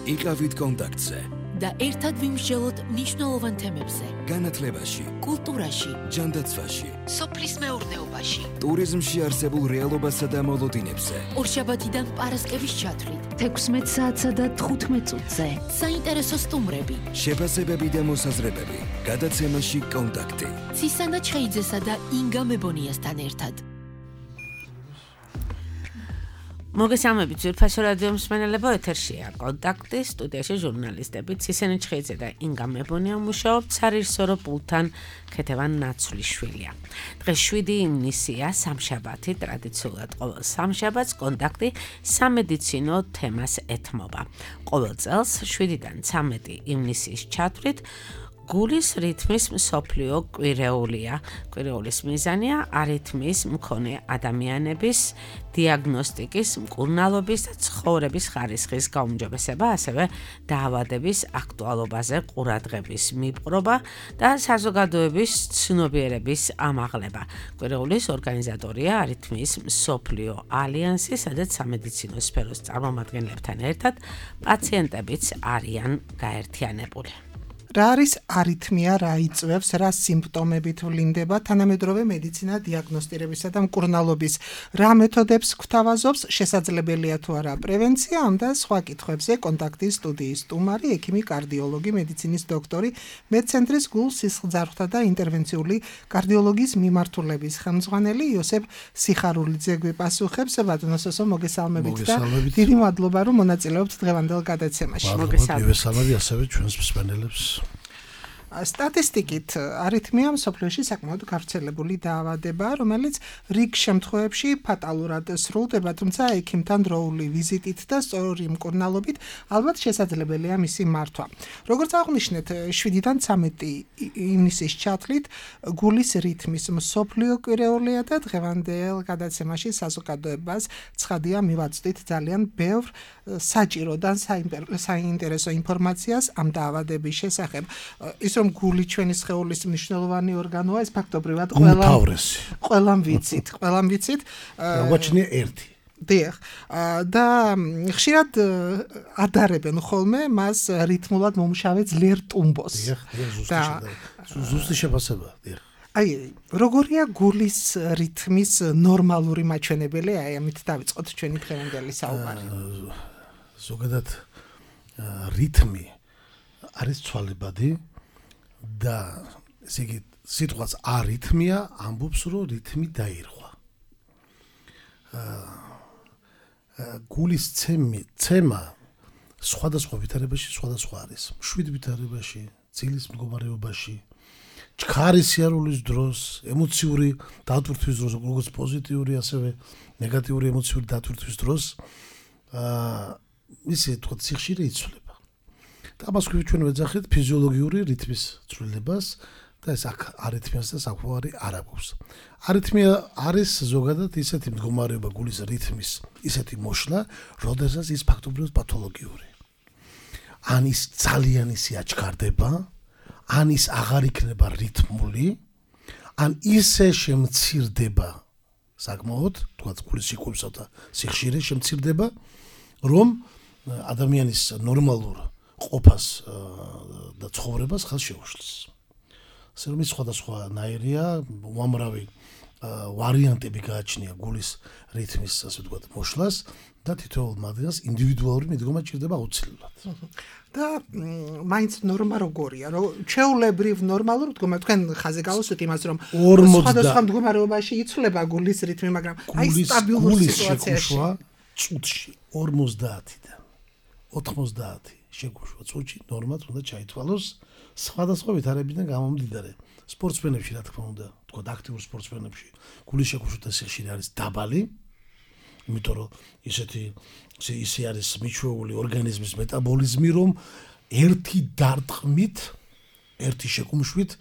იყავით კონტაქტზე და ერთად ვიმსჯელოთ მნიშვნელოვან თემებზე. განათლებაში, კულტურაში, ჯანდაცვაში, სოფლის მეურნეობაში, ტურიზმში არსებულ რეალობასა და მოლოდინებზე. ორშაბათიდან პარასკევის ჩათვლით, 16 საათსა და 15 წუთზე. საინტერესო სტუმრები, შეფასებები და მოსაზრებები. გადაცემაში კონტაქტი. ცისანა ჩხეიძესა და ინგა მებონიასთან ერთად. მოგესალმებით ძვირფასო რადიო მსმენელებო, ეთერშია კონტაქტი, სტუდიაში ჟურნალისტები ცისანა ჩხეიძე და ინგა მებონია მუშაობთ სარისორო პულთან ქეთევან ნაცვლიშვილია. დღეს 7 ივნისია, სამშაბათი, ტრადიციულად ყოველ სამშაბათს კონტაქტი სამედიცინო თემას ეთმობა. ყოველ წელს 7-დან 13 ივნისის ჩათვლით გულის რითმის მსოფლიო კვირეულია. კვირეულის მიზანია არითმიის მქონე ადამიანების დიაგნოსტიკის, მკურნალობის და ცხოვრების ხარისხის გაუმჯობესება, ასევე დაავადების აქტუალობაზე ყურადღების მიპყრობა და საზოგადოების ცნობიერების ამაღლება. კვირეულის ორგანიზატორია არითმიის მსოფლიო ალიანსი, სადაც სამედიცინო სფეროს წარმომადგენლებთან ერთად პაციენტებიც არიან გაერთიანებული. რა არის არითმია, რა იწვევს, რა სიმპტომებით ვლინდება, თანამედროვე მედიცინა დიაგნოსტირებისა და მკურნალობის, რა მეთოდებს გვთავაზობს, შესაძლებელია თუ არა პრევენცია, ამ და სხვა კითხვებზე კონტაქტის სტუდიის სტუმარი, ექიმი, კარდიოლოგი, მედიცინის დოქტორი, მედცენტრის გულ-სისხლძარღვთა და ინტერვენციული კარდიოლოგიის მიმართულების ხელმძღვანელი იოსებ სიხარულიძე გვიპასუხებს. ბატონოსო, მოგესალმებით და დიდი მადლობა, რომ მონაწილეობთ დღევანდელ გადაცემაში. მოგესალმებით ასევე ჩვენს მსმენელებს. სტატისტიკით არითმია მსოფლიოში საკმაოდ გავრცელებული დაავადებაა, რომელიც რიგ შემთხვევებში ფატალურად სრულდება, თუმცა ექიმთან დროული ვიზიტით და სწორი მკურნალობით ალბათ შესაძლებელია მისი მართვა. როგორც აღნიშნეთ, 7-დან 13 ივნისის ჩათვლით გულის რითმის მსოფლიო კვირეულია და დღევანდელ გადაცემაში საზოგადოებას ცხადია მივაწვდით ძალიან ბევრ საჭირო და საინტერესო ინფორმაციას ამ დაავადების შესახებ. ის რომ გული ჩვენი სხეულის მნიშვნელოვანი ორგანოა, ეს ფაქტობრივად ყველამ ვიცით. გაგვაჩნია ერთი. დიახ. და ხშირად ადარებენ ხოლმე მას რითმულად მომუშავე ძლიერ ტუმბოს. ზუსტი შეფასება, დიახ. აი, როგორია გულის რითმის ნორმალური მაჩვენებელი? აი, ამით დავიწყოთ ჩვენი დღევანდელი საუბარი. ზოგადად რითმი არის ცვალებადი და ესე იგი სიტყვაც არითმია ამბობს, რომ რითმი დაირღვა. გულის ცემა სხვადასხვა ვითარებაში სხვადასხვა არის. მშვიდ ვითარებაში, ძილის მდგომარეობაში, ჩქარის სიარულის დროს, ემოციური დატვირთვის დროს, როგორც პოზიტიური, ასევე ნეგატიური ემოციური დატვირთვის დროს, ისე თქვა სიხშირე იცვლება. და ამას ჩვენ ვეძახით ფიზიოლოგიური რითმის ცვლილებას და ეს არითმიას და საქმე არ აქვს. არითმია არის ზოგადად ისეთი მდგომარეობა გულის რითმის, ისეთი მოშლა, როდესაც ის ფაქტობრივად პათოლოგიური. ან ის ძალიან ისე აჩქარდება, ან ის აღარ იქნება რითმული, ან ისე შემცირდება საკმაოდ, თქვა გულის სიკვდილსა და სიხშირე შემცირდება, რომ ადამიანის ნორმალურ ყოფას და ცხოვრებას ხელს შეუშლის. ასე რომ ის სხვადასხვა ნაირია, უამრავი ვარიანტები გააჩნია გულის რითმის, ასე ვთქვათ, მოშლას და თითოეულ მათგანს ინდივიდუალური მიდგომა ჭირდება აუცილებლად. და მაინც ნორმა როგორია? ჩვეულებრივ ნორმალურ მდგომარეობაში თქვენ ხაზე გავუსვით იმას, რომ სხვადასხვა მდგომარეობაში იცვლება გულის რითმი, მაგრამ აი სტაბილურ სიტუაციაში წუთში 50-დან 90 შეგუშვა წუთში ნორმად უნდა ჩაითვალოს სხვადასხვა ვითარებიდან გამომდინარე. სპორტსმენებში, რა თქმა უნდა, თქვა აქტიურ სპორტსმენებში გულის შეგუშვა სიხშირე არის დაბალი, იმიტომ რომ ისე არის მიჩვეული ორგანიზმის მეტაბოლიზმი, რომ ერთი დარტყმით, ერთი შეკუმშვით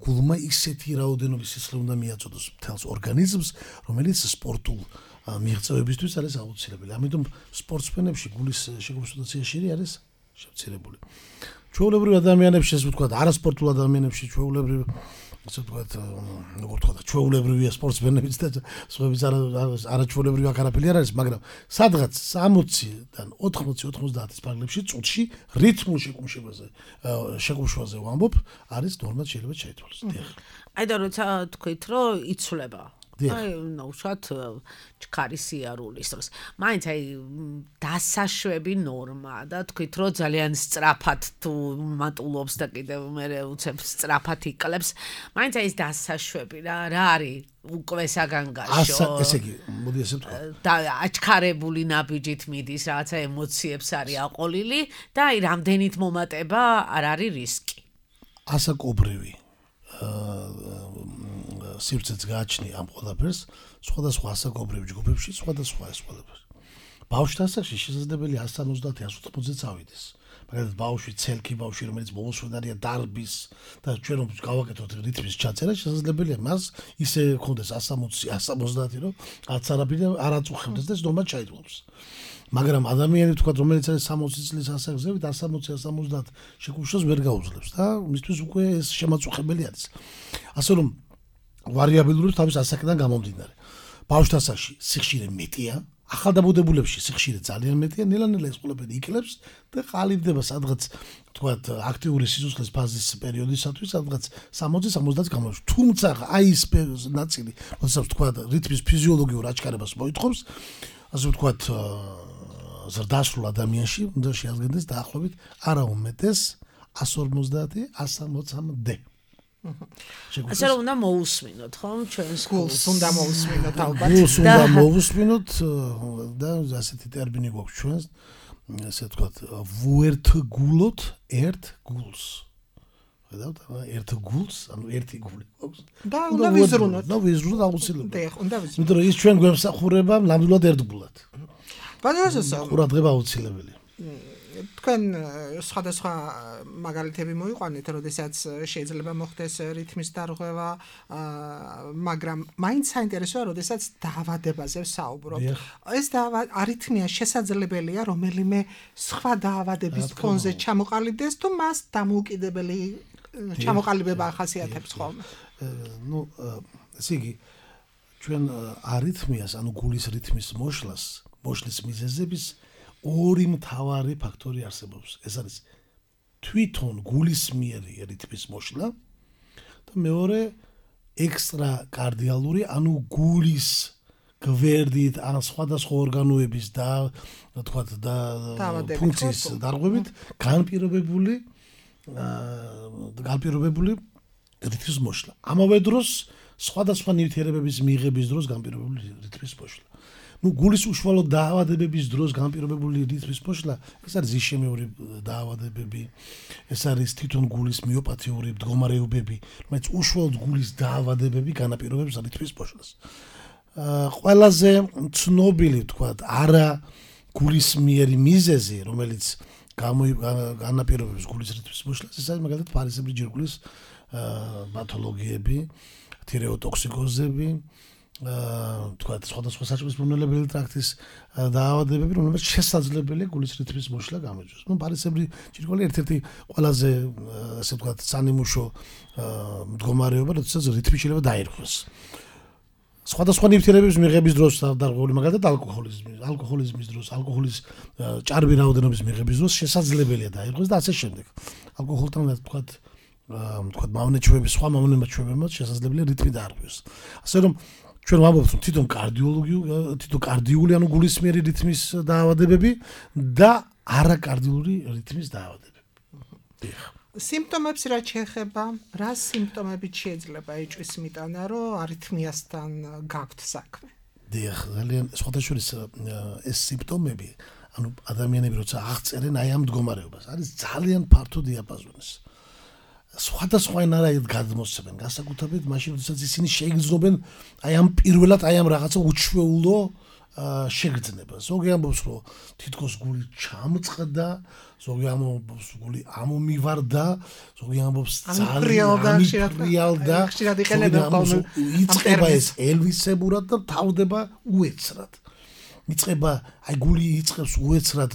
გულმა ისეთი რაოდენობის სისხლი უნდა მიაწოდოს მთელს ორგანიზმს, რომელიც სპორტულ მიღწევებისთვის არის აუცილებელი. ამიტომ სპორტსმენებში გულის შეგუმშვა სიხშირე არის შემცირებული. ჩვეულებრივ ადამიანებში, ასე ვთქვათ, არასპორტულ ადამიანებში, ჩვეულებრივ ასე ვთქვათ, როგორ თქვა, ჩვეულებრივია სპორტსმენებიც და სხვაებიც არაჩვეულებრივი არაფერი არ არის, მაგრამ სადღაც 60-დან 80-90-ის ფარგლებში წუთში რითმულ შეკუმშვაზე ვამბობ, არის ნორმად შეიძლება შეითვალოს. აი და როცა თქვით, რომ იცვლება აი ნაუშად ჩქარი სიარულის დროს. მაინც აი დასაშვები ნორმა და თქვით რომ ძალიან სწრაფად თუ მატულობს და კიდევ მე უცებ სწრაფად იკლებს. მაინც აი ეს დასაშვები რა არის უკვე საგანგაშო. ესე იგი, მოდი ესე ვთქვა. და აჩქარებული ნაბიჯით მიდის რაღაცა ემოციებს არის აყოლილი და აი რამდენით მომატება არ არის რისკი. ასაკობრივი სივრცეც გააჩნია ამ ყველაფერს სხვადასხვა ასაკობრივ ჯგუფებში სხვადასხვა ეს ყველაფერი. ბავშვთა ასაკში შესაძლებელია 170-180-ზე წავიდეს. მაგალითად ბავშვი ცელქი ბავშვი რომელიც მომსვენარია დარბის და ჩვენ რომ გავაკეთოთ რითმის ჩაწერა შესაძლებელია მას ისე ქონდეს 160-170 რომ არც არაფერი არ აწუხებდეს და ნორმად ჩაითვალოს. მაგრამ ადამიანი თქვა რომელიც არის 60 წლის ასაკზე 160-170 შეკუმშვას ვერ გაუძლებს და მისთვის უკვე ეს შემაწუხებელი არის. ასე რომ ვარიაბილურობს თავის ასაკიდან გამომდინარე. ბავშვთა ასაკში სიხშირე მეტია, ახალდაბუდებულებში სიხშირე ძალიან მეტია, ნელა-ნელა ეს ყველაფერი იკლებს და ყალიბდება სადღაც თქვათ აქტიური სიცოცხლის ფაზის პერიოდისათვის სადღაც 60-70 გამოვიდა. თუმცა აი ეს ნაწილი, როდესაც თქვათ რითმის ფიზიოლოგიურ აჩქარებას მოითხოვს, ასე ვთქვათ ზრდასრულ ადამიანში უნდა შეადგენდეს დაახლოებით არა უმეტეს 150-160-დე. ასე რომ უნდა მოусმინოთ, ხო? ჩვენს გულს უნდა მოусმინოთ ალბათ. გულს უნდა მოусმინოთ და ასეთი ტერმინი გვაქვს ჩვენს, ასე ვთქვათ, ვუერთგულოთ ერთ გულს. ხედავთ, ერთ გულს, ანუ ერთი გული გვაქვს. და უნდა ვიზრუნოთ. და ვიზრუნოთ აუცილებლად. და უნდა ვიზრუნოთ. იმიტომ რომ ის ჩვენ გვემსახურება ნამდვილად ერთგულად. ბაზარზე ყურადღება აუცილებელია. თქვენ სხვადასხვა მაგალითები მოიყვანეთ, როდესაც შეიძლება მოხდეს რითმის დარღვევა, მაგრამ მაინც საინტერესოა, როდესაც დაავადებაზე ვსაუბრობთ. ეს არითმია შესაძლებელია რომელიმე სხვა დაავადების ფონზე ჩამოყალიბდეს თუ მას დამოუკიდებელი ჩამოყალიბება ახასიათებს ხოლმე. ნუ ესე იგი ჩვენ არითმიას, ანუ გულის რითმის მოშლის მიზეზების ორი მთავარი ფაქტორი არსებობს. ეს არის თვითონ გულისმიერი რითმის მოშლა და მეორე ექსტრა კარდიალური, ანუ გულის გვერდით ან სხვადასხვა ორგანოების და თქვათ და ფუნქციის დარღვევით განპირობებული რითმის მოშლა. ამავე დროს სხვადასხვა ნივთიერებების მიღების დროს განპირობებული რითმის მოშლა. ნუ გულის უშუალო დაავადებების დროს განპირობებული რითმის მოშლა, ეს არის იშემიური დაავადებები, ეს არის თვითონ გულის მიოპათიური მდგომარეობები, რომელიც უშუალოდ გულის დაავადებები განაპირობებს რითმის მოშლას. ყველაზე ცნობილი, ვთქვათ, არა გულისმიერი მიზეზი, რომელიც განაპირობებს გულის რითმის მოშლას, ეს არის მაგალითად ფარისებრი ჯირკვლის პათოლოგიები, თირეოტოქსიკოზები, თქვათ სხვადასხვა საჭმლის მომნელებელი ტრაქტის დაავადებები, რომლებიც შესაძლებელია გულის რითმის მოშლა გამოიწვიოს. ნუ ფარისებრი ჯირკვალი ერთ-ერთი ყველაზე ასე ვთქვათ სანიმუშო მდგომარეობა, როდესაც რითმი შეიძლება დაირღვეს. სხვადასხვა ნივთიერებების მიღების დროს დარღვეული, მაგალითად ალკოჰოლიზმის დროს, ალკოჰოლის ჭარბი რაოდენობის მიღების დროს შესაძლებელია დაირღვეს და ასე შემდეგ. ალკოჰოლთან თქვათ მავნეჩვევები, სხვა მავნეჩვევებმაც შესაძლებელია რითმი დაარღვიოს. ასე რომ ჩვენ ვამბობთ, რომ თვითონ კარდიული, ანუ გულისმიერი რითმის დაავადებები და არაკარდიული რითმის დაავადებები. სიმპტომებს რაც შეეხება, რა სიმპტომებით შეიძლება ეჭვის მიტანა, რომ არითმიასთან გაქვთ საქმე? დიახ, ძალიან სხვადასხვა ეს სიმპტომები, ანუ ადამიანები როცა აღწერენ აი ამ მდგომარეობას, არის ძალიან ფართო დიაპაზონის. სხვადასხვანაირად გადმოსცემენ, განსაკუთრებით მაშინ, როდესაც ისინი შეიგრძნობენ აი ამ პირველად აი ამ რაღაცა უჩვეულო შეგრძნება. ზოგი ამბობს, რომ თითქოს გული ჩამწყდა, ზოგი ამბობს, გული ამომივარდა, ზოგი ამბობს ძალიან ფრიალდა, ხშირად იყენებენ ხოლმე. იწყება ეს ელვისებურად და თავდება უეცრად. იწყება, აი გული იწყებს უეცრად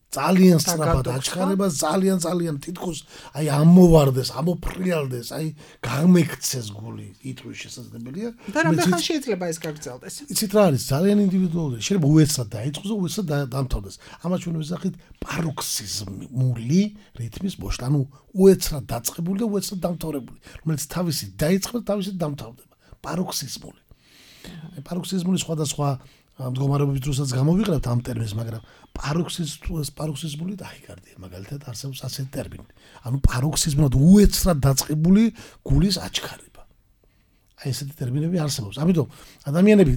ძალიან სწრაფად აჩქარება, ძალიან თითქოს აი ამოვარდეს, ამოფრიალდეს, აი გამექცეს გული, იტყვის შესაძლებელია. და რამდენ ხანში შეიძლება ეს გაგრძელდეს? იცით რა არის, ძალიან ინდივიდუალური. შეიძლება უეცრად დაიწყოს და უეცრად დამთავრდეს. ამას ჩვენ ვიზახით პაროქსიზმული რითმის მოშლა, ანუ უეცრად დაწყებული და უეცრად დამთავრებული, რომელიც თავისით დაიწყება და თავისით დამთავრდება. პაროქსიზმული. პაროქსიზმული სხვადასხვა მდგომარეობის დროსაც გამოვიყენებთ ამ ტერმინს, მაგრამ პაროქსიზმული დაიგარდია, მაგალითად არსებობს ასეთი ტერმინი. ანუ პაროქსიზმულად უეცრად დაწყებული გულის აჩქარება. აი ესეთი ტერმინები არსებობს. ამიტომ ადამიანები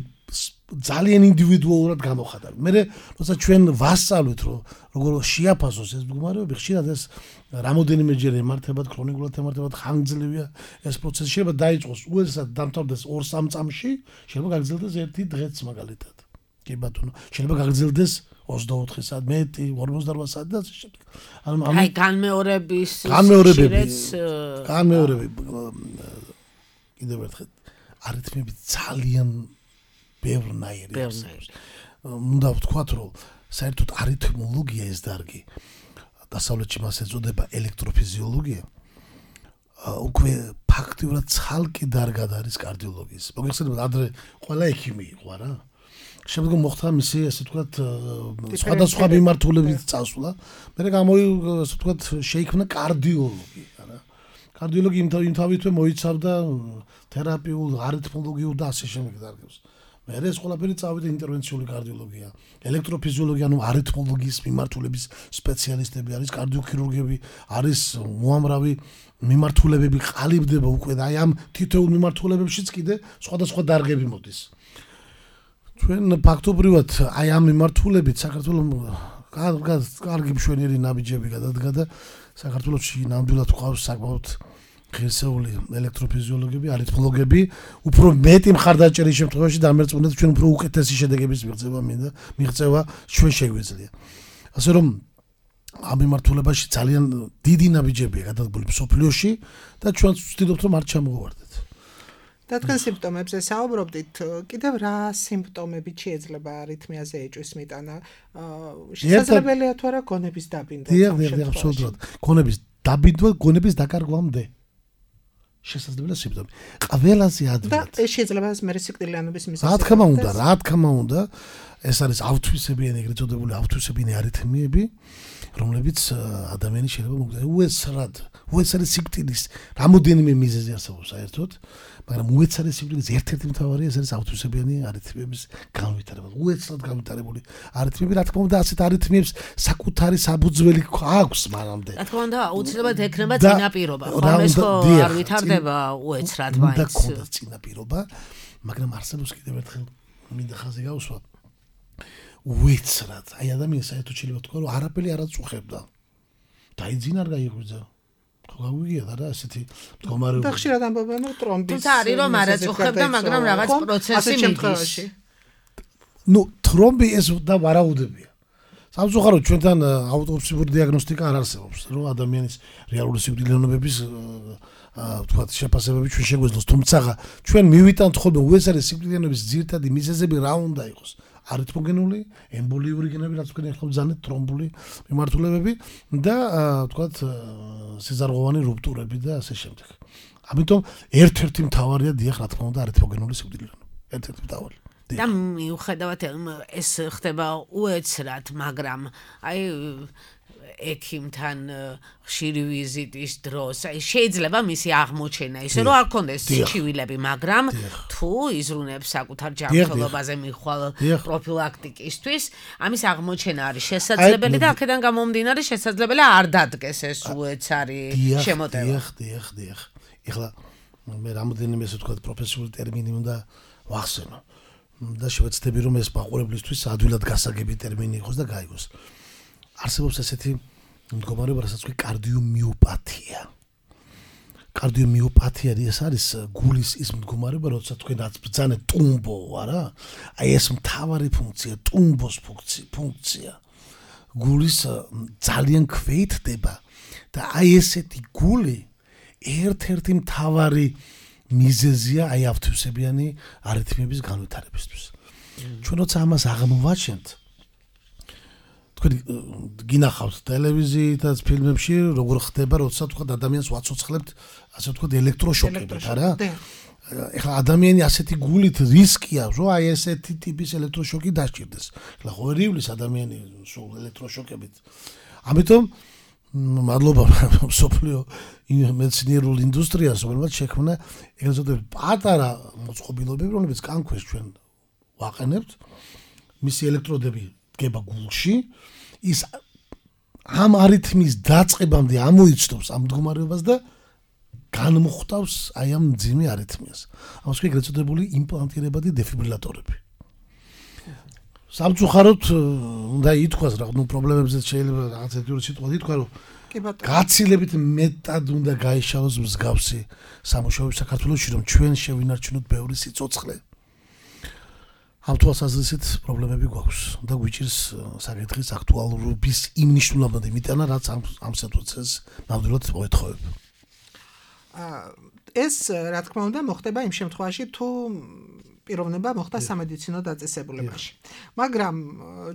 ძალიან ინდივიდუალურად გამოხატავენ. მე როცა ჩვენ ვასწავლეთ, რომ როგორ შეაფასოს ეს მდგომარეობები, ხშირად ეს რამოდენიმეჯერ ემართებათ, ქრონიკულად ემართებათ, ხანგრძლივია ეს პროცესი. შეიძლება დაიწყოს უეცრად დამთავრდეს 2-3 წამში, შეიძლება გაგრძელდეს 1 დღეც მაგალითად. კი ბატონო, შეიძლება გაგრძელდეს 24 საათ, მეტი, 48 საათი და ასე შემდეგ. აი განმეორების კიდევ ერთხელ არითმები ძალიან ბევრნაირი არსებობს. უნდა ვთქვათ, რომ საერთოდ არითმოლოგია ეს დარგი დასავლეთში მას ეწოდება ელექტროფიზიოლოგია. უკვე ფაქტიურად ცალკე დარგად არის კარდიოლოგიის. მოგეხსენებათ, ადრე ყველა ექიმი იყო რა. შემდგომ მოხდა მისი ასე ვთქვათ სხვადასხვა მიმართულებით წასვლა. მე ასე ვთქვათ შეიქმნა კარდიოლოგი, რა. კარდიოლოგი იმთავითვე მოიცავდა თერაპიულ, არითმოლოგიურ და ასე შემდეგ დარგებს. მე ეს ყველაფერი წავიდა ინტერვენციული კარდიოლოგია, ელექტროფიზიოლოგია, ანუ არითმოლოგიის მიმართულების სპეციალისტები არის, კარდიოქირურგები არის, უამრავი მიმართულებები ყალიბდება უკვე და აი ამ თითოეულ მიმართულებებშიც კიდე სხვადასხვა დარგები მოდის. ჩვენ ფაქტობრივად აი ამ მიმართულებით საქართველოს კარგი მშვენიერი ნაბიჯები გადადგა და საქართველოში ნამდვილად ყავს საკმაოდ ღირსეული ელექტროფიზიოლოგები, არითმოლოგები, უფრო მეტი მხარდაჭერის შემთხვევაში დამერწმუნეთ ჩვენ უფრო უკეთესი შედეგების მიღწევა ჩვენ შეგვიძლია. ასე რომ ამ მიმართულებაში ძალიან დიდი ნაბიჯებია გადადგმული მსოფლიოში და ჩვენ ვცდილობთ რომ არ ჩამოვარდეთ. და თქვენ სიმპტომებზე საუბრობდით, კიდევ რა სიმპტომებით შეიძლება არითმიაზე ეჭვის მიტანა? შესაძლებელია თუ არა გონების დაბინდვა? დიახ, აბსოლუტურად. გონების დაბინდვა, გონების დაკარგვამდე. შესაძლებელია სიმპტომი. ყველაზე ადვილად. და ეს შეიძლება მე სიკვდილიანობის მიზეზი. რა თქმა უნდა, ეს არის ავთვისებიანი, ეგრეთ წოდებული ავთვისებიანი არითმიები, რომლებიც ადამიანი შეიძლება მოგვიყვება უეცარი სიკვდილის რამოდენიმე მიზეზი არსებობს საერთოდ, მაგრამ უეცარი სიკვდილის ერთ-ერთი მთავარი ეს არის ავთვისებიანი არითმიების განვითარება. უეცრად განვითარებული არითმიები, რა თქმა უნდა, ასეთ არითმიებს საკუთარი საფუძველი აქვს მანამდე. რა თქმა უნდა, აუცილებლად ექნება წინაპირობა. ხომ ეს არ ვითარდება უეცრად მაინც. უნდა ქონდეს წინაპირობა, მაგრამ არსებობს კიდევ ერთხელ მინდა ხაზი გავუსვა. უეცრად, აი ადამიანს საერთოდ შეიძლება თქვა, რომ არაფერი არ აწუხებდა. დაიძინა არ გაიღვიძა. გავიგია რა ასეთი მდგომარეობა. და ხშირად ამბობენ რომ ტრომბის. თუმცა არის რომ არ აწუხებდა, მაგრამ რაღაც პროცესი მიდის. ნუ ტრომბი ეს და ვარაუდებია. სამწუხაროდ ჩვენთან აუტოპსიური დიაგნოსტიკა არ არსებობს, რომ ადამიანის რეალური სიკვდილიანობების ვთქვათ შეფასებები ჩვენ შეგვეძლოს, თუმცა ჩვენ მივიტანთ ხოლმე უეცარი სიკვდილიანობის ძირითადი მიზეზები რა უნდა იყოს. არითმოგენული, ემბოლიური გენები, რაც თქვენ ახლა ბრძანეთ, ტრომბული მიმართულებები და ვთქვათ სიზარღვოვანი რუპტურები და ასე შემდეგ. ამიტომ ერთ-ერთი მთავარია დიახ, რა თქმა უნდა, არითმოგენული სიკვდილიანობა. ერთ-ერთი მთავარი. და მიუხედავად ეს ხდება უეცრად, მაგრამ აი ექიმთან ხშირი ვიზიტის დროს, აი შეიძლება მისი აღმოჩენა ისე რომ არ კონდეს ჩივილები, მაგრამ თუ იზრუნებს საკუთარ ჯანმრთელობაზე მიხვალ პროფილაქტიკისთვის, ამის აღმოჩენა არის შესაძლებელი და აქედან გამომდინარე შესაძლებელია არ დადგეს ეს უეცარი შემოტევა. დიახ. ეხლა მე რამოდენიმე ესე ვთქვათ პროფესიული ტერმინი უნდა ვახსენო და შევეცდები რომ ეს მაყურებლისთვის ადვილად გასაგები ტერმინი იყოს და გაიგოს. არსებობს ესეთი მდგომარეობა, რასაც ქვია კარდიომიოპათია. კარდიომიოპათია ეს არის გულის ის მდგომარეობა, როდესაც თქვენაც ბრძანეთ ტუმბო, არა? აი ეს მთავარი ფუნქცია, ტუმბოს ფუნქცია. გულის ძალიან ქვეითდება და აი ესეთი გული ერთ-ერთი მთავარი მიზეზია აი ავთვისებიანი არითმიების განვითარებისთვის. ჩვენ როცა ამას აღმოვაჩენთ თქვენ გინახავთ ტელევიზიითაც ფილმებში როგორ ხდება როცა თქვა ადამიანს ვაცოცხლებთ ასე თქვა ელექტროშოკებით არა ეხლა ადამიანი ასეთი გულით რისკი აქვს რომ აი ესეთი ტიპის ელექტროშოკი დასჭირდეს ეხლა ხო ვერ ივლის ადამიანი სულ ელექტროშოკებით ამიტომ მადლობა სოფლიო მეცნიერულ ინდუსტრიას რომელმაც შექმნა ეგრეთ წოდებული პატარა მოწყობილობები რომლებიც კანქვეშ ჩვენ ვაყენებთ მისი ელექტროდები დგება გულში ის ამ არითმის დაწყებამდე ამოიცნობს ამ მდგომარეობას და განმოხტავს აი ამ მძიმე არითმიას. ამას კი ეგრეთ წოდებული იმპლანტირებადი დეფიბრილატორები. სამწუხაროდ უნდა ითქვას რა ნუ პრობლემებზე შეიძლება რაღაც ერთი სიტყვა ითქვა რომ გაცილებით მეტად უნდა გაიშალოს მსგავსი სამუშაოები საქართველოში რომ ჩვენ შევინარჩუნოთ ბევრი სიცოცხლე. ამ თვალსაზრისით პრობლემები გვაქვს და გვიჭირს საკითხის აქტუალურობის იმ მნიშვნელობად იმიტანა რაც ამ სიტუაციას ნამდვილად მოეთხოვებ. ეს რა თქმა უნდა მოხდება იმ შემთხვევაში თუ პიროვნება მოხდა სამედიცინო დაწესებულებაში. მაგრამ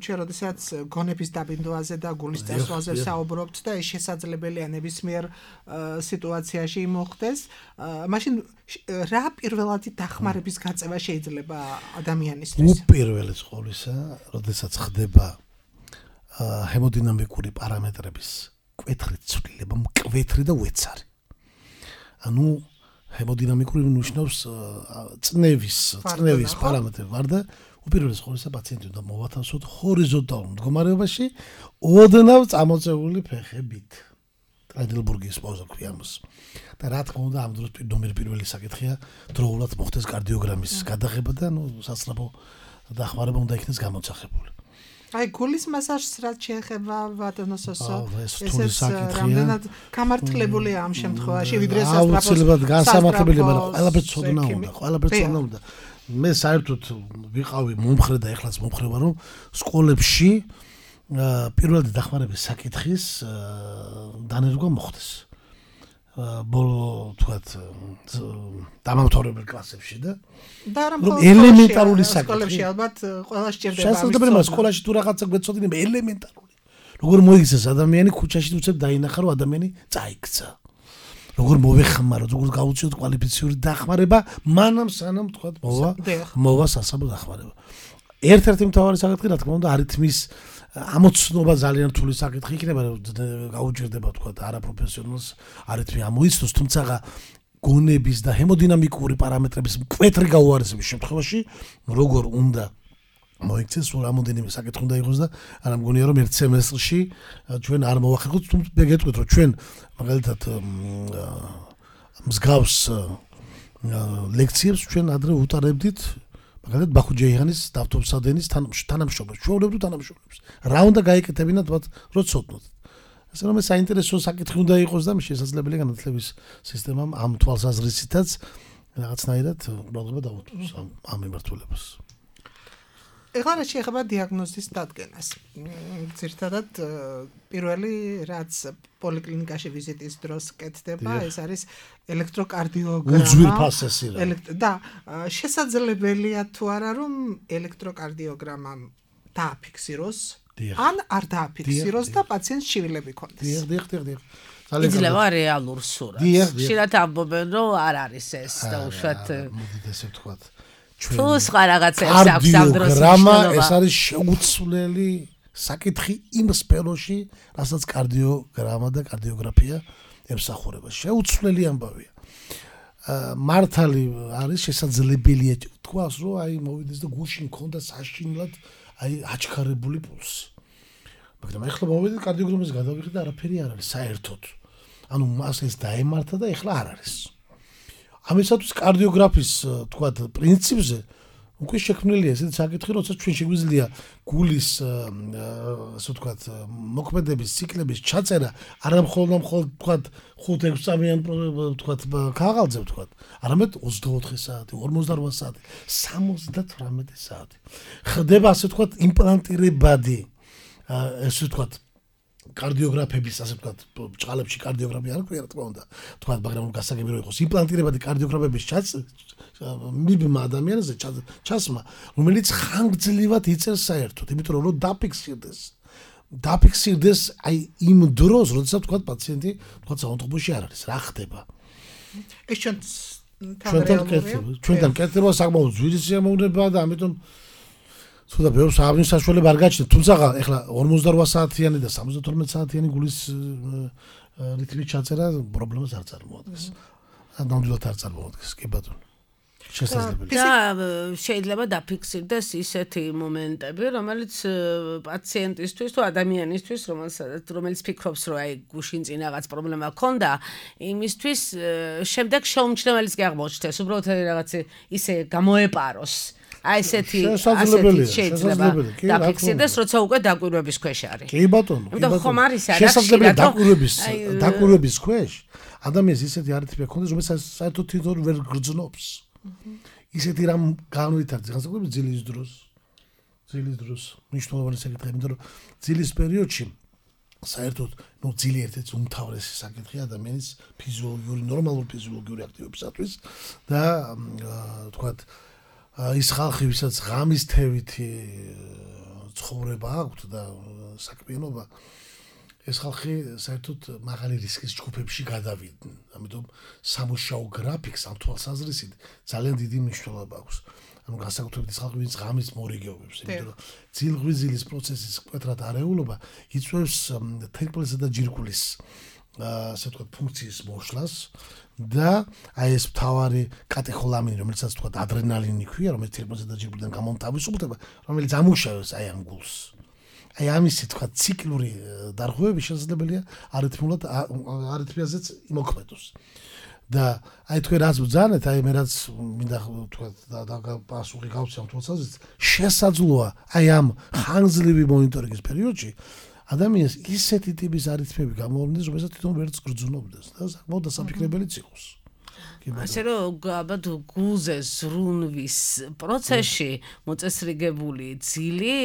ჩვენ როდესაც გონების დაბინდვაზე და გულის წესვლაზე საუბრობთ და ეს შესაძლებელია ნებისმიერ სიტუაციაში მოხდეს, მაშინ რა პირველადი დახმარების გაწევა შეიძლება ადამიანისთვის? უპირველეს ყოვლისა, როდესაც ხდება ჰემოდინამიკური პარამეტრების მკვეთრი ცვლილება, მკვეთრი და უეცარი. ანუ ჰემოდინამიკური ნიშნავს წნევის პარამეტრები ვარ და უპირველეს ყოვლისა პაციენტი უნდა მოვათავსოთ ჰორიზონტალურ მდგომარეობაში ოდნავ წამოწეული ფეხებით. ტრაიდელბურგის პოზა ქვია ამას. და რა თქმა უნდა ამ დროს პირველი საკითხია დროულად მოხდეს კარდიოგრამის გადაღება და სასწრაფო დახმარება უნდა იქნეს გამოცახებული. აი გულის მასაჟს რაც შეეხება ვადონოსოსო ესეც რამდენად გამართლებულია ამ შემთხვევაში ვიდრე აუცილებლად გასამართლებელი მაგრამ ყველაფერს ცოდნა უნდა მე საერთოდ ვიყავი მომხრე და ეხლაც მომხრე ვარ რომ სკოლებში პირველადი დახმარების საკითხის დანერგვა მოხდეს ბოლო თქვათ დამამთავრებელ კლასებში და რომ ელემენტარული საკითხი ალბათ ყველა სჭირდება შესაძლებელი მაგრამ სკოლაში თუ რაღაცა გვეცოდინება ელემენტარული როგორ მოიქცეს ადამიანი ქუჩაში უცებ დაინახა რომ ადამიანი წაიქცა როგორ მოვეხმაროთ როგორ გავუწიოთ კვალიფიციური დახმარება მანამ სანამ თქვათ მოვა სასაბო დახმარება ერთ-ერთი მთავარი საკითხი რა თქმა უნდა არითმის ამოცნობა ძალიან რთული საკითხი იქნება გაუჭირდება თქვა არაპროფესიონალს არითმი ამოიცნოს თუმცა გონების და ჰემოდინამიკური პარამეტრების მკვეთრი გაუარესების შემთხვევაში როგორ უნდა მოიქცეს სულ რამოდენიმე საკითხი უნდა იყოს და არა მგონია რომ ერთ სემესტრში ჩვენ არ მოვახერხოთ თუმცა გეტყვით რომ ჩვენ მაგალითად მსგავს ლექციებს ჩვენ ადრე უტარებდით მაგალითად ბახუჯეიანის დავთობსადენის თანამშრომლებს, ჩვეულებრივ თანამშრომლებს. რა უნდა გაიკეთებინათ მათ რო ცოდნოთ. ასე რომ საინტერესო საკითხი უნდა იყოს და შესაძლებელია განათლების სისტემამ ამ თვალსაზრისითაც რაღაცნაირად პრობლემა დაუწყოს ამ მიმართულებას. ეხლა რა შეეხება დიაგნოზის დადგენას. ძირითადად პირველი რაც პოლიკლინიკაში ვიზიტის დროს კეთდება, ეს არის ელექტროკარდიოგრამა. უძვირფასესი რა. და შესაძლებელია თუ არა რომ ელექტროკარდიოგრამა დააფიქსიროს, ან არ დააფიქსიროს და პაციენტს შივილები ქონდეს. დიახ. იძლევა რეალურ სურათს. ხშირად ამბობენ რომ არ არის ეს და უშუალოდ მოდით ესე ვთქვათ. თუ სხვა რაღაცებს აქვს ამ დროს გრამა ეს არის შეუცვლელი საკითხი იმ სფეროში, რასაც კარდიოგრამა და კარდიოგრაფია ემსახურება. შეუცვლელი ამბავია. მართალი არის შესაძლებელია თქვას, რომ აი მოვიდეს და გულში მქონდა საშინლად აი აჩქარებული პულსი. მაგრამ ეხლა მოვიდეთ კარდიოგრამის გადავიღეთ და არაფერი არ არის საერთოდ. ანუ მას ეს დაემართა და ეხლა არ არის. ამისათვის კარდიოგრაფის თქვათ პრინციპზე უკვე შექმნილია ესეთი საკითხი, როცა ჩვენ შეგვიძლია გულის ასე ვთქვათ მოქმედების ციკლების ჩაწერა არა მხოლოდ თქვათ 5-6 წამიან თქვათ ქაღალდზე ვთქვათ, არამედ 24 საათი, 48 საათი, 78 საათი. ხდება ასე ვთქვათ იმპლანტირებადი ესე ვთქვათ კარდიოგრაფების ასე ვთქვათ ბჭყალებში კარდიოგრაფია არ ქვია რა თქმა უნდა თქვათ მაგრამ გასაგები რომ იყოს იმპლანტირებადი კარდიოგრაფების მიბმა ადამიანზე ჩასმა რომელიც ხანგრძლივად იწერს საერთოდ იმიტომ რომ დაფიქსირდეს დაფიქსირდეს აი იმ დროს, როდესაც თქვა პაციენტი თქვა საავადმყოფოში არ არის, რა ხდება. ეს ჩვენთან კეთება საკმაოდ ძვირი სიამოვნებაა და ამიტომ თუნდაც ბევრს აღნიშნულ საშუალება არ გაჩნდა, თუმცა ეხლა 48 საათიანი და 72 საათიანი გულის რიტმის ჩაწერა პრობლემას არ წარმოადგენს. ნამდვილად არ წარმოადგენს, კი ბატონო. შესაძლებელია. და შეიძლება დაფიქსირდეს ისეთი მომენტები, რომელიც პაციენტისთვის თუ ადამიანისთვის, რომელიც ფიქრობს, რომ აი გუშინ წინ რაღაც პრობლემა ქონდა, იმისთვის შემდეგ შეუმჩნეველიც კი აღმოჩნდეს, უბრალოდ რაღაც ისე გამოეპაროს. აი ესეთი შეიძლება დაფიქსირდეს, როცა უკვე დაკვირვების ქვეშ არის. კი ბატონო. იმიტომ ხომ არის არა შესაძლებელია დაკვირვების ქვეშ ადამიანს ისეთი არითმია ქონდეს, რომელსაც საერთოდ თვითონ ვერ გრძნობს. ისეთი რამ განვითარდეს, განსაკუთრებით ძილის დროს მნიშვნელოვანი საკითხია, იმიტომ რომ ძილის პერიოდში საერთოდ ძილი ერთ-ერთი უმთავრესი საკითხია ადამიანის ფიზიოლოგიური, ნორმალური ფიზიოლოგიური აქტივობისათვის და თქვათ ის ხალხი, ვისაც ღამის თევითი ცხოვრება აქვთ და საქმიანობა, ეს ხალხი საერთოდ მაღალი რისკის ჯგუფებში გადავიდნენ. ამიტომ სამუშაო გრაფიკს ამ თვალსაზრისით ძალიან დიდი მნიშვნელობა აქვს. ანუ განსაკუთრებით ის ხალხი, ვინც ღამის მორიგეობებს, იმიტომ რომ ძილღვიძილის პროცესის მკვეთრად არეულობა იწვევს თერმალისა და ჯირკვლის ასე ვთქვათ ფუნქციის მოშლას და აი ეს მთავარი კატეხოლამინი, რომელსაც ვთქვათ ადრენალინი ქვია, რომელიც თერმალისა და ჯირკვლიდან გამომთავისუფლდება, რომელიც ამუშავებს აი ამ გულს. აი ამისი თქვა ციკლური დარღვევები შესაძლებელია არითმიაზეც იმოქმედოს. და აი თქვენ რაც ბრძანეთ, აი მე რაც მინდა თქვა და პასუხი გავცემ თვალსაზრისით, შესაძლოა აი ამ ხანგრძლივი მონიტორინგის პერიოდში ადამიანს ისეთი ტიპის არითმიები გამოვლინდეს, რომელსაც თვითონ ვერც გრძნობდეს და საკმაოდ დასაფიქრებელიც იყოს. ასე რომ ალბათ გულზე ზრუნვის პროცესში მოწესრიგებული ძილი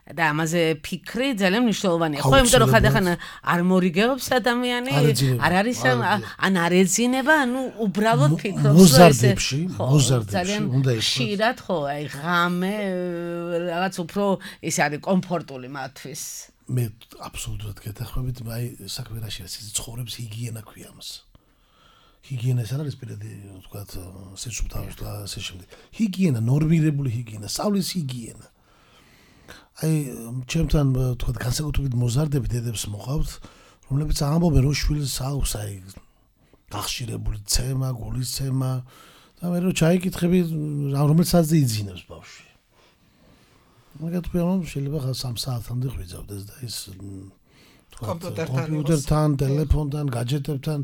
და ამაზე ფიქრი ძალიან მნიშვნელოვანია. ხო, იმიტომ რომ ხანდახან არ მორიგეობს ადამიანი, არ არის ან არ ეძინება, ანუ უბრალოდ ფიქრობს, რომ მოზარდებში უნდა იყოს. ხშირად ხო, აი ღამე რაღაც უფრო ის არის კომფორტული მათთვის. მე აბსოლუტურად გეთანხმებით, აი საქმე რაში არის, ეს ცხოვრების ჰიგიენა ქვია ამას. ჰიგიენა ეს არის პირადი, ვთქვათ, სიცოცხლე და ასე შემდეგ. ჰიგიენა, ნორმირებული ჰიგიენა, სწავლის ჰიგიენა. აი, ჩემთან ვთქვათ, განსაკუთრებით მოზარდები დედებს მოყავთ, რომლებიც ამბობენ, რომ შვილს აქვს აი გახშირებული ცემა, გულის ცემა და მე რო ჩაიკითხები, რომელსაც იძინებს ბავშვი. მაგათ ვთქვი, შეიძლება 3 საათამდე ღვიძავდეს და ის კომპიუტერთან, ტელეფონთან, გაჯეტებთან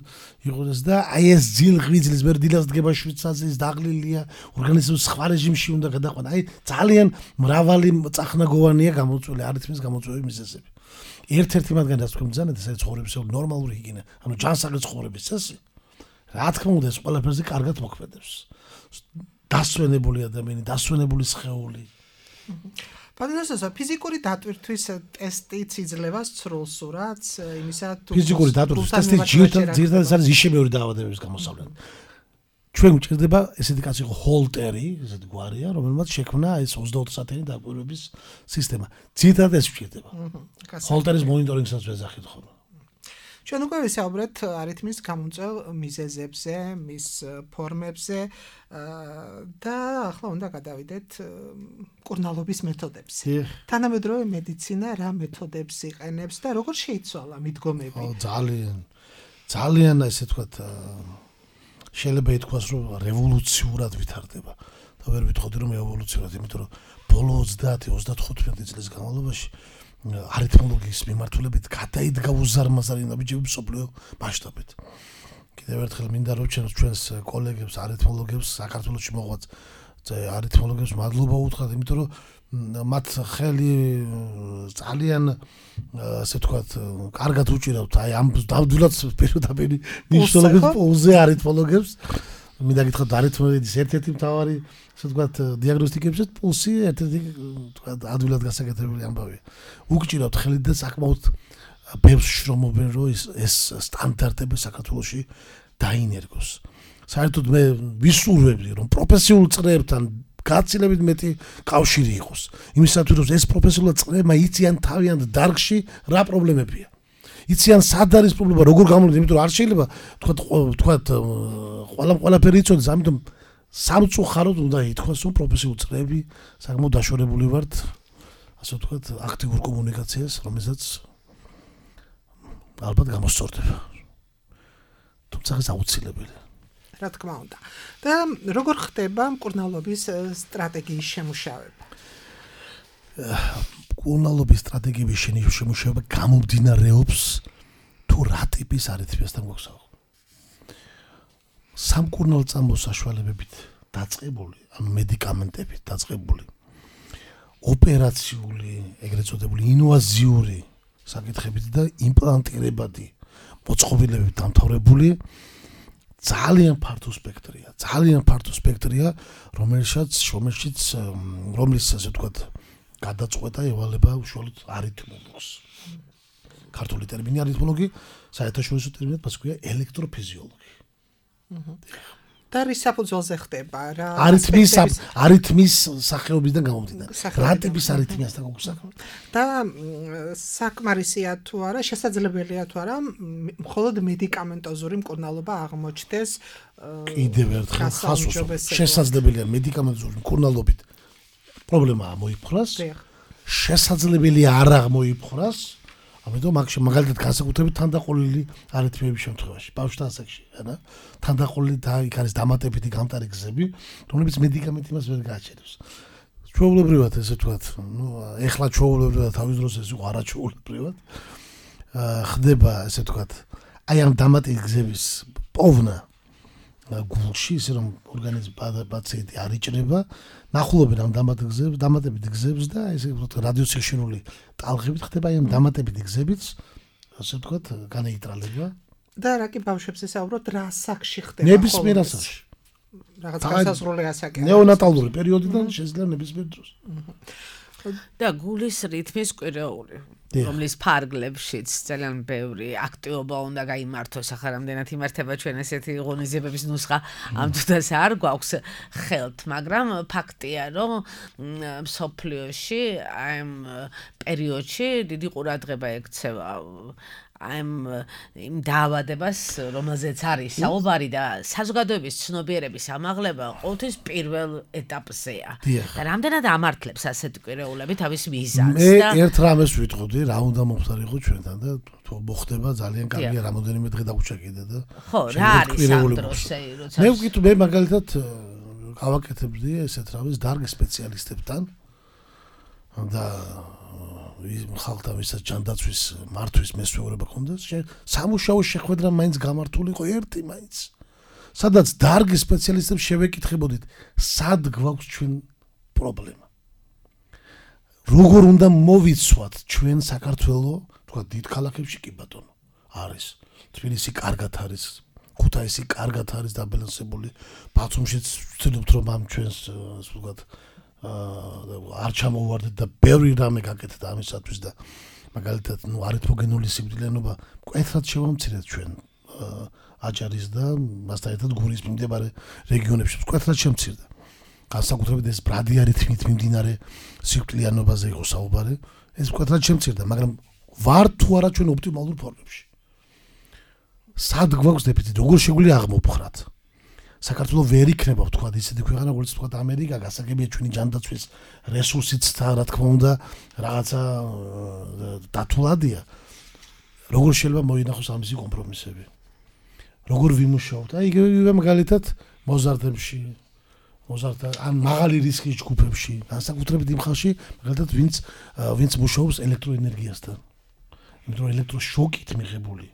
იყოდეს და აი ეს ძილღვიძლის მერდილას დგება შვიცაზე, ის დაღლილია, ორგანიზმის სხვა რეჟიმში უნდა გადაყვანა. აი ძალიან მრავალი წახნაგოვანია გამოწვეული არითმის გამოწვევი მიზეზები. ერთ-ერთი მათგანი რაც თქვენ ბრძანეთ, ეს არის ცხოვრების ნორმალური ჰიგიენა, ანუ ჯანსაღი ცხოვრების წესი. რა თქმა უნდა, ეს ყველაფერზე კარგად მოქმედებს. დასვენებული ადამიანი, დასვენებული სხეული. პატარასა ფიზიკური დატვირთვის ტესტიც იძლევა სრულ სურათს იმისა თუ ფიზიკური დატვირთვის ტესტი ძირითადად არის იშემიური დაავადებების გამოსავლენ. ჩვენ გვჭირდება ესეთი კაცი იყო ჰოლტერი, ესეთი გვარია, რომელმაც შექმნა ეს 24 საათიანი დაკვირვების სისტემა. ძირითადად ეს გვჭირდება. ჰოლტერის მონიტორინგსაც ვეძახით ხოლმე. ჩვენ უკვე ვისაუბრეთ არითმის გამომწვევ მიზეზებზე, მის ფორმებზე და ახლა უნდა გადავიდეთ მკურნალობის მეთოდებზე. თანამედროვე მედიცინა რა მეთოდებს იყენებს და როგორ შეიცვალა მიდგომები? ძალიან ესე ვთქვათ, შეიძლება ითქვას, რომ რევოლუციურად ვითარდება. და ვერ ვიტყოდი რომ ევოლუციურად, იმიტომ რომ ბოლო 30-35 წლის განმავლობაში არითმოლოგიის მიმართულებით გადაიდგა უზარმაზარი ნაბიჯები მსოფლიო მასშტაბით. კიდევ ერთხელ მინდა რომ ჩვენს კოლეგებს, არითმოლოგებს, საქართველოში მოღვაწ არითმოლოგებს მადლობა უთხრათ, იმიტომ რომ მათ ხელი ძალიან ასე ვთქვათ, კარგად უჭირავთ აი ამ დავდვილად პირდაპირ მნიშვნელობის პოუზე არითმოლოგებს. მინდა გითხრათ არითმოლოგიის ერთ-ერთი მთავარი ასე ვთქვათ დიაგნოსტიკებშიც პულსი ერთ-ერთი ვთქვათ ადვილად გასაკეთებელი ამბავია. უგჭირავთ ხელი და საკმაოდ ბევრს შრომობენ რომ ეს სტანდარტები საქართველოში დაინერგოს. საერთოდ მე ვისურვებდი რომ პროფესიულ წრეებთან გაცილებით მეტი კავშირი იყოს. იმისათვის რომ ეს პროფესიონალ წრეებმა იციან თავიანთ დარგში რა პრობლემებია. იციან სად არის პრობლემა, როგორ გამოვიდეს, იმიტომ რომ არ შეიძლება თქვათ ყველაფერი იცოდეს, ამიტომ სამწუხაროდ უნდა ითქვას, რომ პროფესიული წრეები საკმაოდ დაშორებული ვართ, ასე ვთქვათ, აქტიურ კომუნიკაციას, რომელსაც ალბათ გამოსწორდება. თუმცა ეს აუცილებელია. რა თქმა უნდა. და როგორ ხდება მკურნალობის სტრატეგიის შემუშავება? მკურნალობის სტრატეგიების შემუშავება გამომდინარეობს თუ რა ტიპის არითმიასთან გვაქვს. სამკურნალო წამოს საშუალებებით დაწყებული, ან მედიკამენტებით დაწყებული, ოპერაციული, ეგრეთ წოდებული ინვაზიური საკითხებით და იმპლანტირებადი მოწყობილებით დამთავრებული ძალიან ფართო სპექტრია, რომლის ასე ვთქვათ, გადაწყვეტა ევალება უშუალოდ არითმოლოგს. ქართული ტერმინი არითმოლოგი, საერთაშორისო ტერმინად პასუხია ელექტროფიზიოლოგი. და რის საფუძველზე ხდება რა? არითმის სახეობისგან გამომდინარე. რა ტიპის არითმიასთან გვაქვს საქმე? და საკმარისია თუ არა, შესაძლებელია თუ არა, მხოლოდ მედიკამენტოზური მკურნალობა აღმოჩნდეს? კიდევ ერთხელ ხასვასობ. შესაძლებელია მედიკამენტოზური მკურნალობით პრობლემა მოიფხრას. შესაძლებელია არ აღმოიფხრას. ამიტომ მაგალითად განსაკუთრებით თანდაყოლილი არითმიების შემთხვევაში, ბავშვთა ასაკში, ანა, თანდაყოლილი და იქ არის დამატებითი გამტარი გზები, რომლებიც მედიკამენტი მას ვერ გააჩერებს. ჩვეულებრივად ესე ვთქვათ, ეხლა ჩვეულებრივად თავის დროს ეს იყო არაჩვეულებრივად. ხდება ესე ვთქვათ, აი ამ დამატებითი გზების პოვნა გულში, ისე რომ ორგანიზმი პაციენტი არ იჭრება, ნახულობენ ამ დამატებითი გზებს და ესე ვთქვათ, რადიოსიჩქარული ტალღებით ხდება აი ამ დამატებითი გზებით, ასე ვთქვათ, განეიტრალება. და რა კი ბავშვებს ესაუბროთ, რა ასაკში ხდება? ნებისმიერ ასაკში. რაღაც განსაზღვრული ასაკი. ნეონატალური პერიოდიდან შესაძლოა ნებისმიერ დროს. და გულის რითმის კვირეული, რომლის ფარგლებშიც ძალიან ბევრი აქტივობა უნდა გაიმართოს, ახლა რამდენად იმართება ჩვენ ესეთი ღონისძიებების ნუსხა ამ თუდას არ გვაქვს ხელთ, მაგრამ ფაქტია, რომ მსოფლიოში ამ პერიოდში დიდი ყურადღება ექცევა იმ დაავადებას, რომელზეც არის საუბარი და საზოგადოების ცნობიერების ამაღლება ყოველთვის პირველ ეტაპზეა. და რამდენად ამართლებს ასეთი კვირეულები თავის მიზანს და მე ერთ რამეს ვიტყოდი, რა უნდა მომხდარიყო ჩვენთან და თუ მოხდება ძალიან კარგია, რამოდენიმე დღე დაგვჭა კიდე და ხო, რა არის ამ დროს, როცა მე ვკითხე, მე მაგალითად გავაკეთებდი ესეთ რამეს დარგ სპეციალისტებთან და ხალხთან ვისაც ჯანდაცვის მართვის მესვეურება ქონდეს, სამუშაო შეხვედრა მაინც გამართულიყო ერთი მაინც. სადაც დარგი სპეციალისტებს შევეკითხებოდით, სად გვაქვს ჩვენ პრობლემა. როგორ უნდა მოვიცვათ ჩვენ საქართველო, თქვა დიდ ქალაქებში კი ბატონო, არის. თბილისი კარგად არის, ქუთაისი კარგად არის დაბალანსებული, ბათუმშიც ვცდილობთ რომ ამ ჩვენს ვთქვათ არ ჩამოვარდეთ და ბევრი რამე გაკეთდა ამისათვის და მაგალითად არითმოგენული სიკვდილიანობა მკვეთრად შევამცირეთ ჩვენ აჭარის და მასთან ერთად გურის მიმდებარე რეგიონებში მკვეთრად შემცირდა. განსაკუთრებით ეს ბრადი არითმით მიმდინარე სიკვდილიანობაზე იყო საუბარი, ეს მკვეთრად შემცირდა, მაგრამ ვარ თუ არა ჩვენ ოპტიმალურ ფორმებში. სად გვაქვს დეფიციტი, როგორ შეგვიძლია აღმოფხრათ? საქართველოს ვერ იქნება თქვა ისეთი ქვეყანა, როგორც თქვა ამერიკა, გასაგებია ჩვენი ჯანდაცვის რესურსიც და რა თქმა უნდა რაღაცა დათულადია. როგორ შეიძლება მოინახოს ამისი კომპრომისები? როგორ ვიმუშაოთ? აი იგივე მაგალითად მოზარდებში, ან მაღალი რისკის ჯგუფებში, განსაკუთრებით იმ ხალხში, მაგალითად ვინც მუშაობს ელექტროენერგიასთან. იმიტომ რომ ელექტროშოკით მიღებული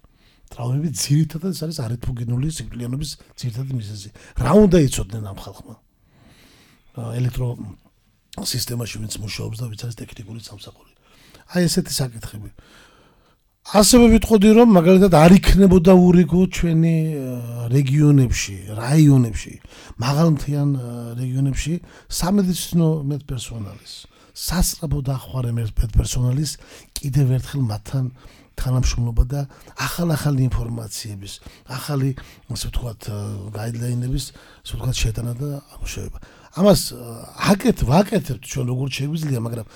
ტრავმები ძირითადად არის არითმოგენული სიკვდილიანობის ძირითადი მიზეზი. რა უნდა იცოდნენ ამ ხალხმა? ელექტროსისტემაში ვინც მუშაობს და ვინც არის ტექნიკური სამსახური. აი ესეთი საკითხები. ასევე ვიტყოდი რომ მაგალითად არ იქნებოდა ურიგო ჩვენი რეგიონებში, რაიონებში, მაღალმთიან რეგიონებში სამედიცინო მედპერსონალის, სასწრაფო დახვარე მედპერსონალის კიდევ ერთხელ მათთან თანამშრომლობა და ახალი ინფორმაციების, ახალი ასე ვთქვათ გაიდლაინების, ასე ვთქვათ შეტანა და ამუშავება. ამას ვაკეთებთ ჩვენ როგორც შეგვიძლია, მაგრამ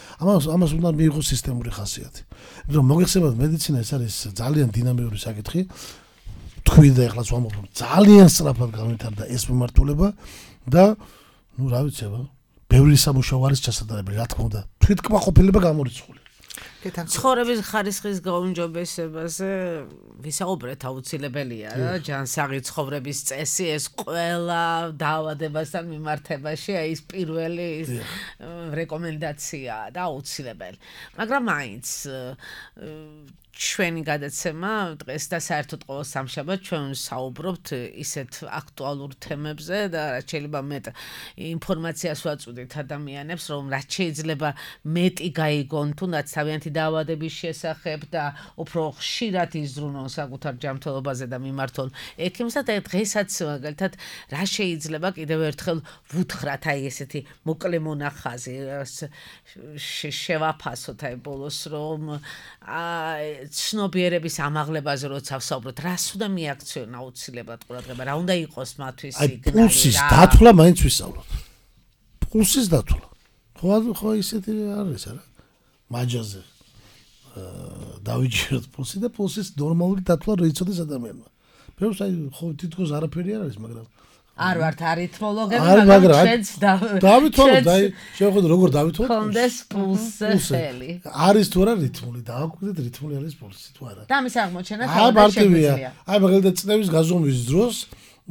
ამას უნდა მიიღოს სისტემური ხასიათი. იმიტომ რომ მოგეხსენებათ მედიცინა ეს არის ძალიან დინამიური საკითხი. თქვი და ეხლა ვამბობ, ძალიან სწრაფად განვითარდა ეს მიმართულება და რა ვიცი, ბევრი სამუშაო არის ჩასატარებელი, რა თქმა უნდა. თვითკმაყოფილება გამორიცხული. ცხოვრების ხარისხის გაუმჯობესებაზე ვისაუბრეთ აუცილებელია რა ჯანსაღი ცხოვრების წესი ეს ყველა დაავადებასთან მიმართებაში აი ეს პირველი რეკომენდაციაა და აუცილებელი მაგრამ მაინც ჩვენი გადაცემა დღეს და საერთოდ ყოველ სამშაბათს ჩვენ საუბრობთ ისეთ აქტუალურ თემებზე და რაც შეიძლება მეტ ინფორმაციას ვაწვდით ადამიანებს რომ რაც შეიძლება მეტი გაიგონ თუნდაც თავიანთი დაავადების შესახებ და უფრო ხშირად იზრუნონ საკუთარ ჯანმრთელობაზე და მიმართონ ექიმსა და დღესაც მაგალითად რა შეიძლება კიდევ ერთხელ ვუთხრათ აი ესეთი მოკლე მონახაზი შევაფასოთ აი ბოლოს რომ ცნობიერების ამაღლებაზე როცა ვსაუბრობთ, რას უნდა მიაქციონ აუცილებლად ყურადღება, რა უნდა იყოს მათთვის სიგნალი. აი პულსის დათვლა მაინც ვისაუბროთ. პულსის დათვლა. ხო ისეთი არის არა? მაჯაზე დავიჯეროთ პულსი და პულსის ნორმალური დათვლა რო იცოდეს ადამიანმა. ბევრს აი ხო თითქოს არაფერი არ არის, მაგრამ არ ვართ არითმოლოგები, მაგრამ ჩვენც დავითვალოთ, აი შევხედოთ როგორ დავითვალოთ. კონდეს პულსელი. არის თუ არა რითმული, დააკვირდეთ რითმული არის პულსი თუ არა. და ამის აღმოჩენა თავად შეგვიძლია. აი მაგალითად წნევის გაზომვის დროს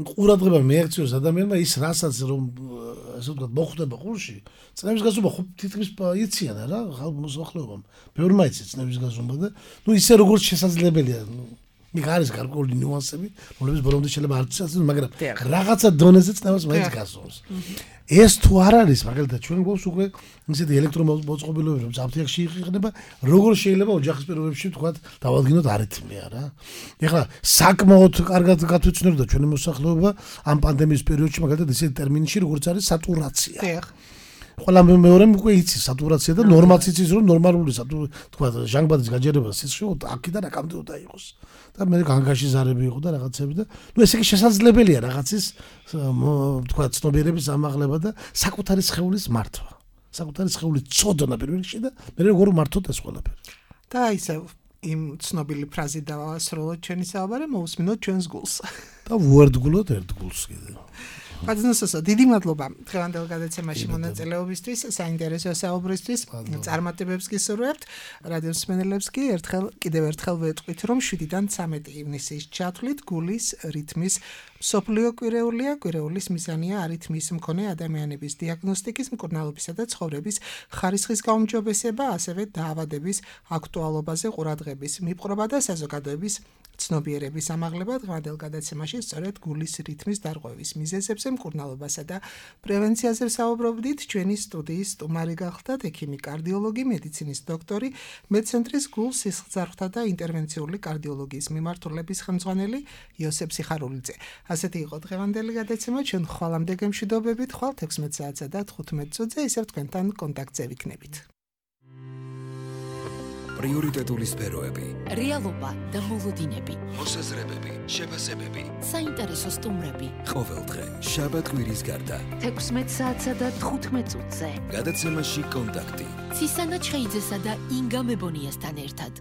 ყურადღება მიაქციოს ადამიანმა ის რასაც რომ ასე ვთქვათ მოხვდება ყურში, წნევის გაზომა ხო თითქმის იციან რა მოსახლეობამ. ბევრმა იცის წნევის გაზომა და ნუ ისე როგორც შესაძლებელია იქ არის გარკვეული ნიუანსები, რომლებიც ბოლომდე შეიძლება არ ცნობილ, მაგრამ რაღაცა დონეზე წნევას მაინც გასწორს. ეს თუ არ არის, მაგალითად, ჩვენ გვაქვს უკვე ისეთი ელექტრომოწყობილობები, რომ საფთიაქში იყინება, როგორ შეიძლება ოჯახის პირობებში ვთქვათ, დავალგინოთ არითმია რა. ეხლა საკმაოდ კარგად გათვითცნობდა ჩვენი მოსახლეობა ამ პანდემიის პერიოდში, მაგალითად, ისეთი ტერმინში, როგორც არის სატურაცია. ყველა მეორემ უკვე იცის სატურაცია და ნორმაც იცის რომ ნორმალური თქვა ჟანგბადის გაჯერება სისხლში აქედან აკამდე უნდა იყოს და მე განგაში ზარები იყო და რაღაცები და ნუ ესე იგი შესაძლებელია რაღაცის თქვა ცნობიერების ამაღლება და საკუთარი სხეულის მართვა საკუთარი სხეულის წოდნა პირველ რიგში და მე როგორ მართოთ ეს ყველაფერი და ისე იმ ცნობილი ფრაზით დავასრულოთ ჩვენი საუბარი მოусმინოთ ჩვენს გულს და ვუერთგულოთ ერთ გულს კიდე პატნოსო დიდი მადლობა დღევანდელ გადაცემაში მონაწილეობისთვის, საინტერესო საუბრისთვის, წარმატებებს გისურვებთ. რადიო მსმენელებს კი კიდევ ერთხელ ვეტყვით, რომ 7-დან 13 ივნისის ჩათვლით გულის რითმის მსოფლიო კვირეულია, კვირეულის მიზანია არითმის მქონე ადამიანების დიაგნოსტიკის, მკურნალობისა და ცხოვრების ხარისხის გაუმჯობესება, ასევე დაავადების აქტუალობაზე ყურადღების მიპყრობა და საზოგადოების ცნობიერების ამაღლება დღევანდელ გადაცემაში სწორედ გულის რითმის დარღვევის მიზეზებზე მკურნალობასა და პრევენციაზე საუბრობდით ჩვენი სტუდიის სტუმარი გახლდათ ექიმი კარდიოლოგი მედიცინის დოქტორი მედცენტრის გულ სისხლძარღვთა და ინტერვენციული კარდიოლოგიის მიმართულების ხელმძღვანელი იოსებ სიხარულიძე ასეთი იყო დღევანდელი გადაცემა ჩვენ ხვალამდე გემშვიდობებით ხვალ 16 საათსა და 15 წუთზე ისევ თქვენთან კონტაქტზე ვიქნებით პრიორიტეტული სფეროები რეალობა და მოლოდინები მოსაზრებები შეფასებები საინტერესო სტუმრები ყოველდღე შაბათ-კვირის გარდა 16 საათსა და 15 წუთზე გადაცემაში კონტაქტი ცისანა ჩხეიძესა და ინგა მებონიასთან ერთად